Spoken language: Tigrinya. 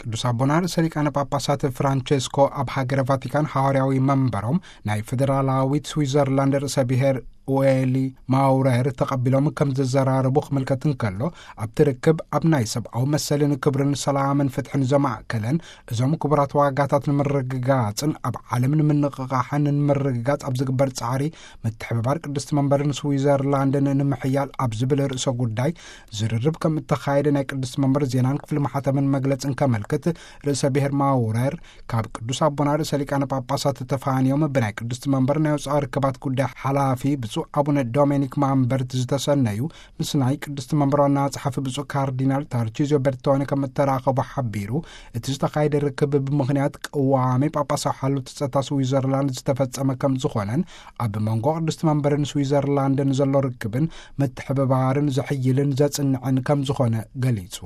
ቅዱስ ኣቦና ርእሰ ሊቃነ ጳጳሳት ፍራንቼስኮ ኣብ ሃገረ ቫቲካን ሃዋርያዊ መንበሮም ናይ ፌደራላዊት ስዊዘርላንድ ርእሰ ብሔር ኡኤሊ ማውረር ተቐቢሎም ከም ዝዘራረቡ ክምልከት እንከሎ፣ ኣብቲ ርክብ ኣብ ናይ ሰብኣዊ መሰልን ክብርን ሰላምን ፍትሕን ዘማእከለን እዞም ክቡራት ዋጋታት ንምርግጋጽን ኣብ ዓለም ንምንቕቓሕን ንምርግጋጽ ኣብ ዝግበር ጻዕሪ ምትሕብባር ቅድስቲ መንበርን ስዊዘርላንድን ንምሕያል ኣብ ዝብል ርእሰ ጉዳይ ዝርርብ ከም እተኻየደ ናይ ቅድስቲ መንበር ዜናን ክፍሊ ማሕተምን መግለጽን ከመልክት፣ ርእሰ ብሔር ማውረር ካብ ቅዱስ ኣቦና ርእሰ ሊቃነ ጳጳሳት ተፋንዮም ብናይ ቅድስቲ መንበር ናይ ወፃኢ ርክባት ጉዳይ ሓላፊ ብፁዕ ኣቡነ ዶሜኒክ ማምበርት ዝተሰነዩ ምስ ናይ ቅድስቲ መንበር ዋና ጸሓፊ ብፁዕ ካርዲናል ታርቺዝዮ በርቶኒ ከም እተራኸቡ ሓቢሩ፣ እቲ ዝተኻየደ ርክብ ብምኽንያት ቅዋሜ ጳጳሳዊ ሓልዮት ጸጥታ ስዊዘርላንድ ዝተፈጸመ ከም ዝኾነን ኣብ መንጎ ቅድስቲ መንበርን ስዊዘርላንድን ዘሎ ርክብን ምትሕብባርን ዘሕይልን ዘጽንዕን ከም ዝኾነ ገሊጹ።